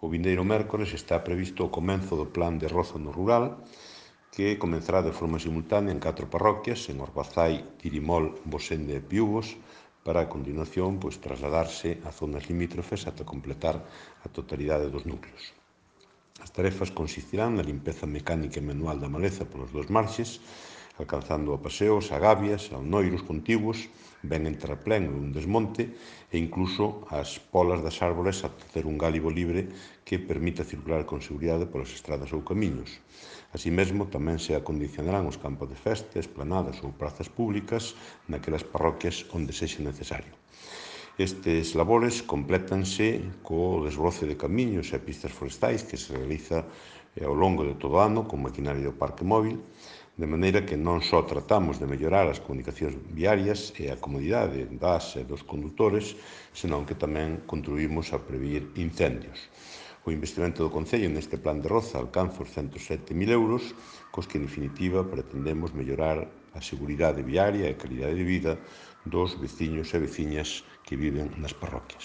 O vindeiro mércores está previsto o comenzo do plan de Roza no Rural, que comenzará de forma simultánea en 4 parroquias, en Orbazai, Tirimol, Bosende e Piúbos, para a continuación trasladarse a zonas limítrofes ata completar a totalidade dos núcleos. As tarefas consistirán na limpeza mecánica e manual da maleza polos dos marxes, alcanzando a paseos, a gavias, a noiros contiguos, ben en terraplén ou un desmonte, e incluso as polas das árbores ata ter un gálibo libre que permita circular con seguridade polas estradas ou camiños. Así mesmo, tamén se acondicionarán os campos de festa, esplanadas ou prazas públicas naquelas parroquias onde sexa necesario. Estes labores complétanse co desbroce de camiños e pistas forestais que se realiza ao longo de todo o ano con maquinaria do parque móvil, de maneira que non só tratamos de mellorar as comunicacións viarias e a comodidade das e dos condutores, senón que tamén contribuímos a prevenir incendios. O investimento do Concello neste plan de Roza alcanza os 107.000 euros, cos que, en definitiva, pretendemos mellorar a seguridade viaria e a calidade de vida dos veciños e veciñas que viven nas parroquias.